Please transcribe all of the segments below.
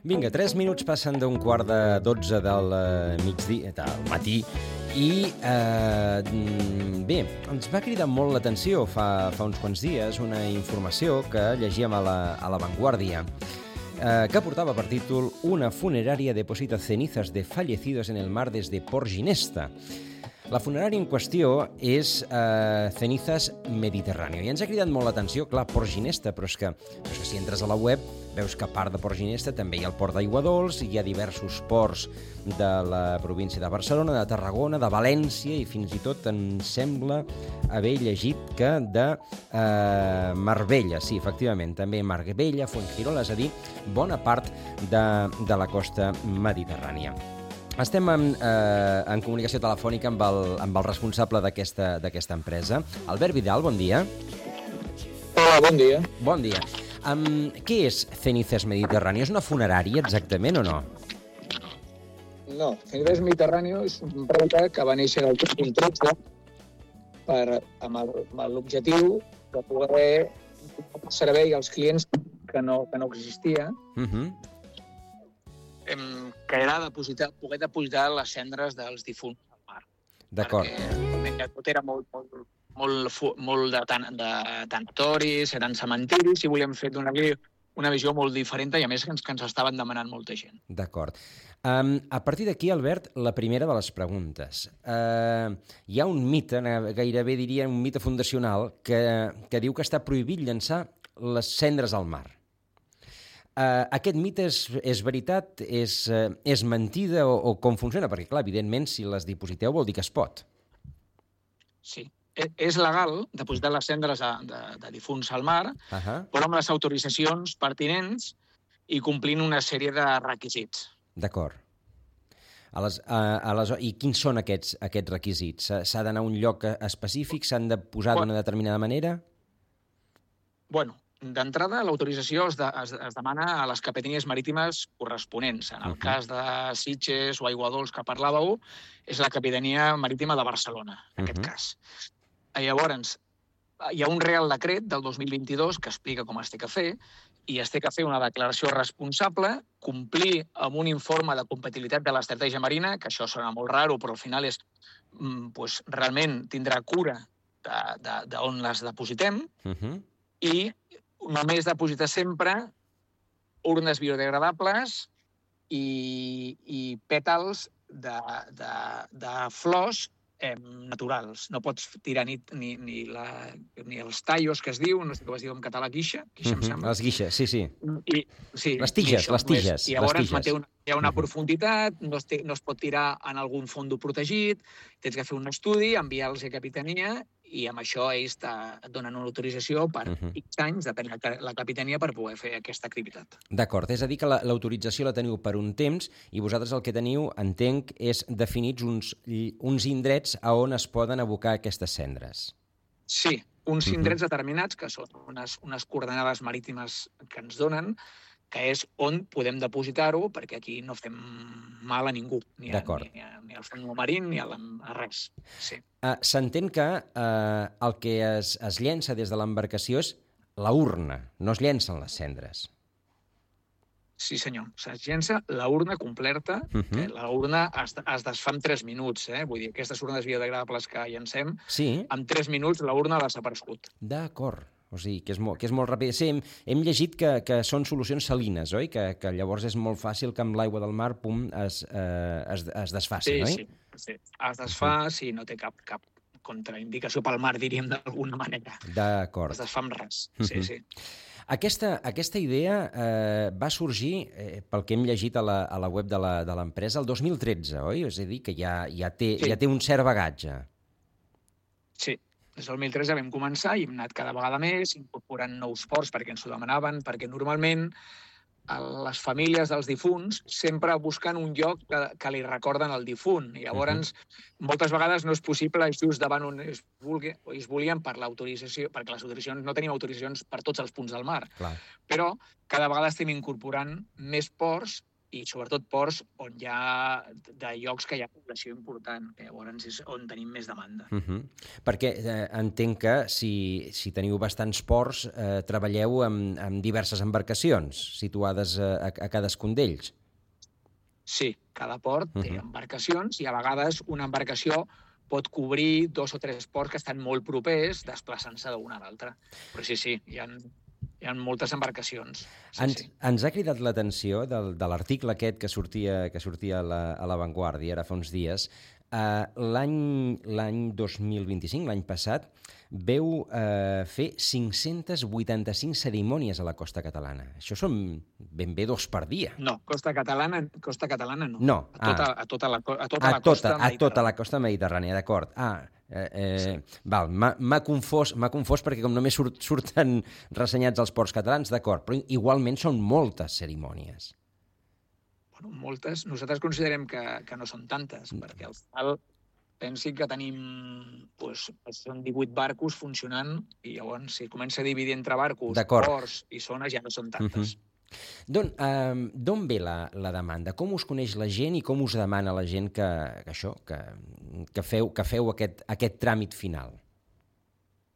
Vinga, 3 minuts passen d'un quart de 12 del migdia, del matí, i bé, ens va cridar molt l'atenció fa uns quants dies una informació que llegíem a la Vanguardia, que portava per títol «Una funeraria deposita cenizas de fallecidos en el mar desde Port Ginesta». La funerària en qüestió és Cenizas Mediterráneo. I ens ha cridat molt l'atenció, clar, Port Ginesta, però és que si entres a la web veus que a part de Port Ginesta també hi ha el port d'Aiguadols, hi ha diversos ports de la província de Barcelona, de Tarragona, de València, i fins i tot em sembla haver llegit que de Marbella, sí, efectivament, també Marbella, Fuengirola, és a dir, bona part de la costa mediterrània. Estem en comunicació telefònica amb el responsable d'aquesta empresa. Albert Vidal, bon dia. Hola, bon dia. Bon dia. Què és Cenizas Mediterráneo? És una funerària exactament o no? No, Cenizas Mediterráneo és una empresa que va néixer el 2013 amb l'objectiu de poder donar servei als clients que no existia, que era poder depositar les cendres dels difunts al mar. D'acord. Perquè tot era molt de tanatoris, eren cementiris, i volíem fer donar-li una visió molt diferent, i a més que ens estaven demanant molta gent. D'acord. A partir d'aquí, Albert, la primera de les preguntes. Hi ha un mite, gairebé diria un mite fundacional, que diu que està prohibit llançar les cendres al mar. Aquest mite és veritat, és mentida o com funciona? Perquè, clar, evidentment, si les dipositeu vol dir que es pot. Sí. És legal depositar les cendres de difunts al mar, però amb les autoritzacions pertinents i complint una sèrie de requisits. D'acord. I quins són aquests requisits? S'ha d'anar a un lloc específic? S'han de posar d'una determinada manera? Bueno, d'entrada, l'autorització es demana a les capitanies marítimes corresponents. En el cas de Sitges o Aiguadols, que parlàveu, és la Capitania Marítima de Barcelona, en aquest cas. Llavors, hi ha un Real Decret del 2022 que explica com es té que fer, i es té que fer una declaració responsable, complir amb un informe de compatibilitat de l'estratègia marina, que això sona molt raro, però al final és realment tindrà cura d'on les depositem, i només depositar sempre urnes biodegradables i pètals de flors naturals. No pots tirar ni els tallos, que es diu, no sé com es diu en català, guixa, em sembla. Les guixes, sí. Sí, les tiges. I llavors hi ha una profunditat, no es pot tirar en algun fondo protegit, tens que fer un estudi, enviar-los a capitania, i amb això ells et donen una autorització per X anys, depèn de la capitania, per poder fer aquesta activitat. D'acord, és a dir que l'autorització la teniu per un temps i vosaltres el que teniu, entenc, és definits uns indrets a on es poden abocar aquestes cendres. Sí, uns indrets determinats, que són unes coordenades marítimes que ens donen, que és on podem depositar-ho, perquè aquí no fem mal a ningú, ni al fons marí ni a res. Sí. S'entén que el que es llença des de l'embarcació és la urna, no es llencen les cendres. Sí, senyor. Es llença la urna completa. La urna es desfà en 3 minuts. Vull dir, aquestes urnes biodegradables que llencem, en 3 minuts la urna ha desaparegut. D'acord. O sigui, que és molt ràpid. Sí, hem llegit que són solucions salines, oi? Que llavors és molt fàcil que amb l'aigua del mar es desfaci, oi? Sí. Es desfà, no té cap contraindicació pel mar, diríem d'alguna manera. D'acord. Es desfà amb res, sí. Aquesta idea va sorgir, pel que hem llegit a la web de l'empresa, el 2013, oi? És a dir, que ja té un cert bagatge. Sí. Des del 2013 vam començar i hem anat cada vegada més, incorporant nous ports perquè ens ho demanaven, perquè normalment les famílies dels difunts sempre busquen un lloc que li recorden el difunt. I llavors, moltes vegades no és possible just davant on es volien per l'autorització, perquè les autoritzacions no tenim autoritzacions per tots els punts del mar. Clar. Però cada vegada estem incorporant més ports i sobretot ports on hi ha de llocs que hi ha població important, que llavors és on tenim més demanda. Perquè entenc que si teniu bastants ports, treballeu amb diverses embarcacions situades a cadascun d'ells. Sí, cada port té embarcacions i a vegades una embarcació pot cobrir 2 o 3 ports que estan molt propers desplaçant-se d'un a l'altre. Però sí, hi ha moltes embarcacions. Ens ha cridat l'atenció de l'article aquest que sortia a La Vanguardia ara fa uns dies. L'any 2025, l'any passat, veu fer 585 cerimònies a la costa catalana. Això són ben bé 2 per dia. No, costa catalana no. No. A tota la costa mediterrània. A tota la costa mediterrània, d'acord. Sí. Val, m'ha confós perquè com només surten ressenyats els ports catalans, d'acord, però igualment són moltes cerimònies. Bueno, moltes. Nosaltres considerem que no són tantes, perquè al final pensi que tenim, són 18 barcos funcionant i llavors si comença a dividir entre barcos, ports i zones ja no són tantes. D'on ve la demanda? Com us coneix la gent i com us demana la gent que feu aquest tràmit final?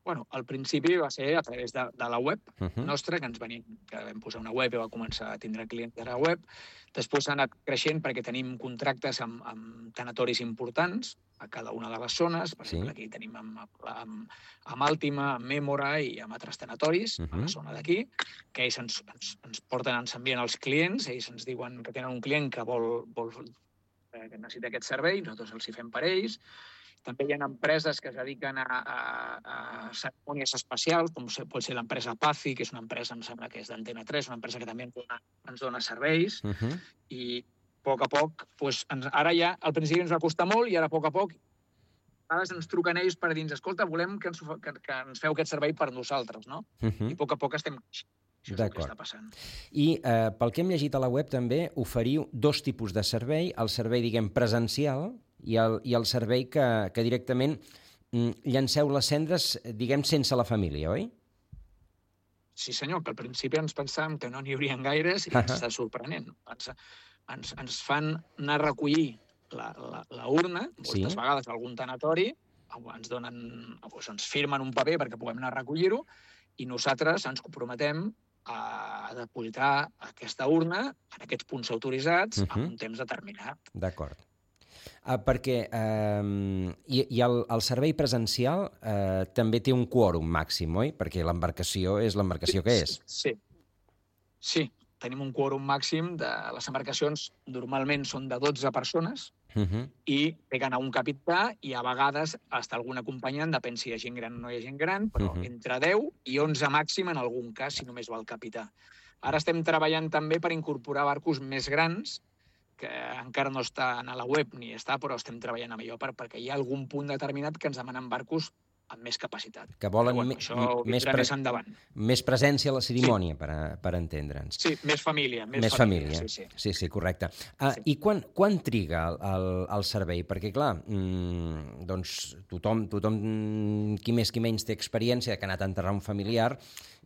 Bueno, al principi va ser a través de la web nostra, que vam posar una web i va començar a tindre clients de la web. Després s'ha anat creixent perquè tenim contractes amb tanatoris importants a cada una de les zones. Per exemple, aquí tenim amb Àltima, amb Mémora i amb altres tanatoris a la zona d'aquí, que ells ens porten, ens envien els clients, ells ens diuen que tenen un client que que necessita aquest servei, nosaltres els hi fem per ells. També hi ha empreses que es dediquen a cerimònies especials, com pot ser l'empresa Pazi, que és una empresa, em sembla que és d'Antena 3, una empresa que també ens dona serveis. I a poc a poc, ara ja al principi ens va costar molt i ara a poc a poc ens truquen ells per dir, escolta, volem que ens feu aquest servei per nosaltres, no? I a poc estem creixent. Això és el que està passant. I pel que hem llegit a la web també oferiu 2 tipus de servei, el servei, diguem, presencial i el servei que directament llanceu les cendres, diguem, sense la família, oi? Sí, senyor, que al principi ens pensàvem que no n'hi haurien gaires i ens està sorprenent. Ens fan anar a recollir la urna, moltes vegades a algun tanatori, ens firmen un paper perquè puguem anar a recollir-ho i nosaltres ens comprometem a depositar aquesta urna en aquests punts autoritzats en un temps determinat. D'acord. Perquè el servei presencial també té un quòrum màxim, oi? Perquè l'embarcació és l'embarcació que és. Sí, tenim un quòrum màxim de les embarcacions, normalment són de 12 persones, i té que anar un capità i a vegades hasta algun acompanyant, depèn si hi ha gent gran o no hi ha gent gran, però entre 10 i 11 màxim en algun cas, si només va el capità. Ara estem treballant també per incorporar barcos més grans, que encara no està a la web ni està, però estem treballant amb allò perquè hi ha algun punt determinat que ens demanen barcos amb més capacitat. Que volen més endavant. Més presència a la cerimònia, per entendre'ns. Sí, més família. Més família. Sí, correcte. I quan triga el servei? Perquè, clar, doncs tothom, qui més qui menys té experiència que ha anat a enterrar un familiar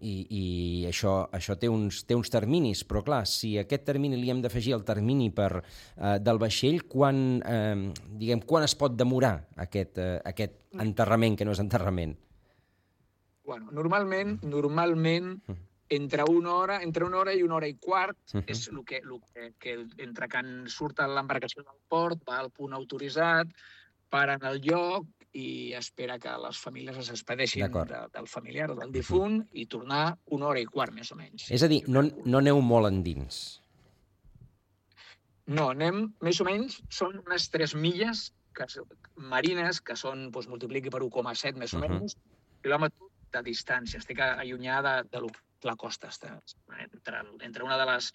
i això té uns terminis, però clar, si a aquest termini li hem d'afegir el termini del vaixell, quan es pot demorar aquest enterrament, que no és enterrament? Bueno, normalment entre una hora i una hora i quart és el que entre que surt l'embarcació del port, va al punt autoritzat, para en el lloc i espera que les famílies es despedeixin del familiar o del difunt i tornar una hora i quart, més o menys. És a dir, no aneu molt endins. No, anem més o menys, són unes 3 milles marines, que són, multipliqui per 1,7 més o menys, quilòmetres de distància. Estic allunyada de la costa. Entre una de les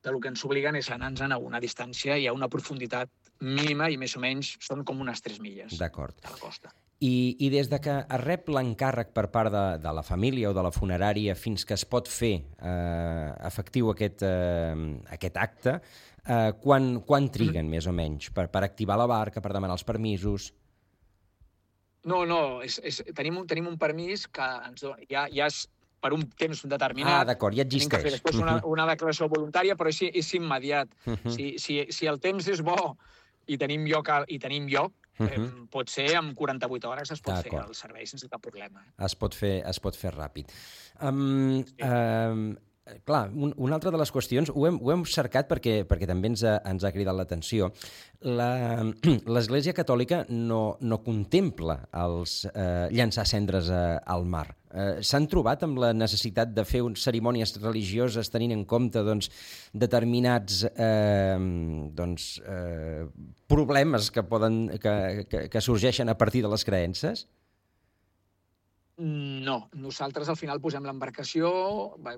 del que ens obliguen és anar-nos a una distància i a una profunditat mínima i més o menys són com unes 3 milles de la costa. I des de que es rep l'encàrrec per part de la família o de la funerària fins que es pot fer efectiu aquest acte, quan triguen més o menys per activar la barca, per demanar els permisos? No, tenim un permís que ens dona, ja és per un temps determinat. D'acord, ja existeix. Tenim que fer després una declaració voluntària, però és immediat. Si el temps és bo i tenim lloc, pot ser en 48 hores es pot fer el servei sense cap problema. Es pot fer ràpid. Clar, una altra de les qüestions, ho hem cercat perquè també ens ha cridat l'atenció. L'Església Catòlica no contempla llançar cendres al mar. S'han trobat amb la necessitat de fer cerimònies religioses tenint en compte determinats problemes que sorgeixen a partir de les creences? No, nosaltres al final posem l'embarcació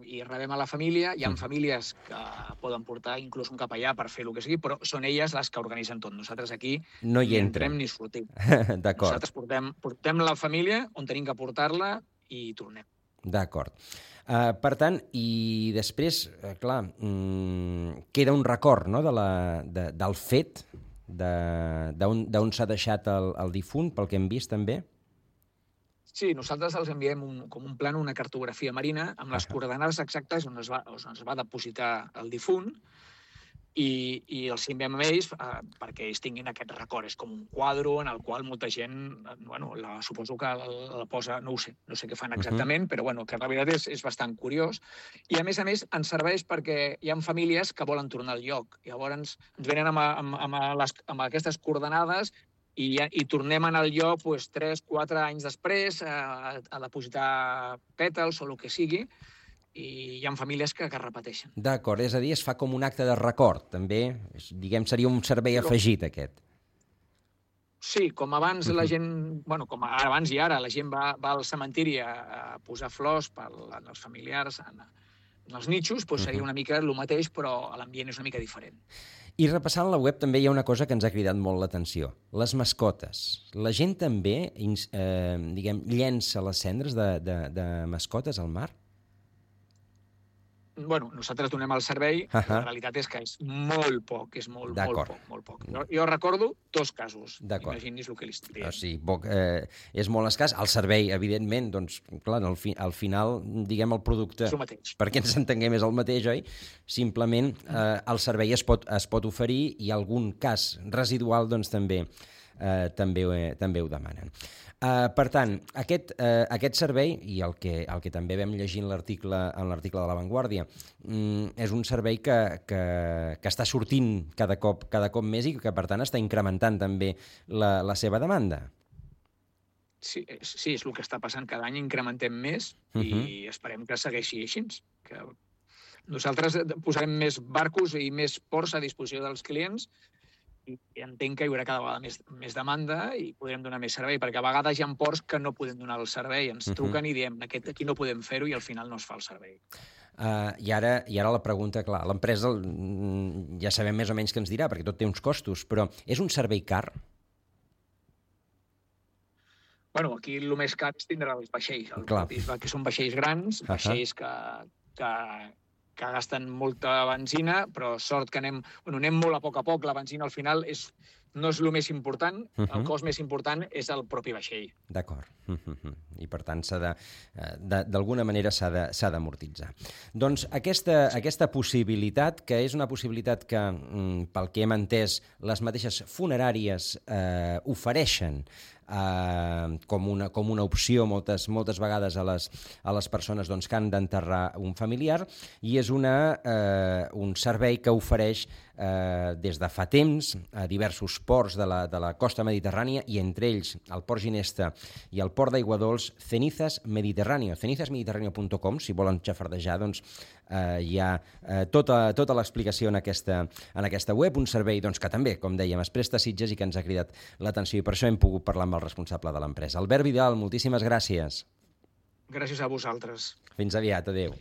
i rebem a la família. Hi ha famílies que poden portar inclús un capellà per fer el que sigui, però són elles les que organitzen tot. Nosaltres aquí no hi entrem ni sortim. D'acord. Nosaltres portem la família on tenim que portar-la i tornem. D'acord. Per tant, i després, clar, queda un record, no?, del fet d'on s'ha deixat el difunt, pel que hem vist també? Sí, nosaltres els enviem com un plànol, una cartografia marina, amb les coordenades exactes on es va depositar el difunt, i els enviem a ells perquè ells tinguin aquest record. És com un quadre en el qual molta gent, suposo que la posa, no sé què fan exactament, però que la veritat és bastant curiós. I a més ens serveix perquè hi ha famílies que volen tornar al lloc. Llavors ens venen amb aquestes coordenades i tornem al lloc 3-4 anys després a depositar pètals o el que sigui, i hi ha famílies que repeteixen. D'acord, és a dir, es fa com un acte de record, també, diguem, seria un servei afegit, aquest. Sí, com abans la gent, com abans i ara, la gent va al cementiri a posar flors als familiars, en els nitxos, seria una mica el mateix, però l'ambient és una mica diferent. I repassant la web també hi ha una cosa que ens ha cridat molt l'atenció, les mascotes. La gent també, llença les cendres de mascotes al mar? Nosaltres donem el servei, la realitat és que és molt poc, molt poc. Jo recordo 2 casos, imaginis el que li estic dient. Sí, és molt escàs. El servei, evidentment, doncs, clar, al final, diguem, el producte, perquè ens entenguem, és el mateix, oi? Simplement, el servei es pot oferir i algun cas residual, doncs, també ho demanen. Per tant, aquest servei, i el que també vam llegir en l'article de La Vanguardia, és un servei que està sortint cada cop més i que, per tant, està incrementant també la seva demanda. Sí, és el que està passant. Cada any incrementem més i esperem que segueixi així. Nosaltres posarem més barcos i més ports a disposició dels clients i entenc que hi haurà cada vegada més demanda i podrem donar més servei, perquè a vegades hi ha ports que no podem donar el servei, ens truquen i diem aquí no podem fer-ho i al final no es fa el servei. I ara la pregunta, clar, l'empresa ja sabem més o menys què ens dirà, perquè tot té uns costos, però és un servei car? Aquí el més car és tindre els vaixells, que són vaixells grans, vaixells que gasten molta benzina, però sort que anem molt a poc. La benzina al final no és el més important, el cost més important és el propi vaixell. D'acord. I per tant d'alguna manera s'ha d'amortitzar. Doncs aquesta possibilitat, que és una possibilitat que, pel que hem entès, les mateixes funeràries ofereixen com una opció moltes vegades a les persones que han d'enterrar un familiar, i és un servei que ofereix des de fa temps a diversos ports de la costa mediterrània, i entre ells el Port Ginesta i el Port d'Aiguadols, Cenizas Mediterráneo, cenizasmediterraneo.com, si volen xafardejar, doncs hi ha tota l'explicació en aquesta web, un servei que també, com dèiem, es presta a Sitges i que ens ha cridat l'atenció, i per això hem pogut parlar amb el responsable de l'empresa. Albert Vidal, moltíssimes gràcies. Gràcies a vosaltres. Fins aviat, adéu.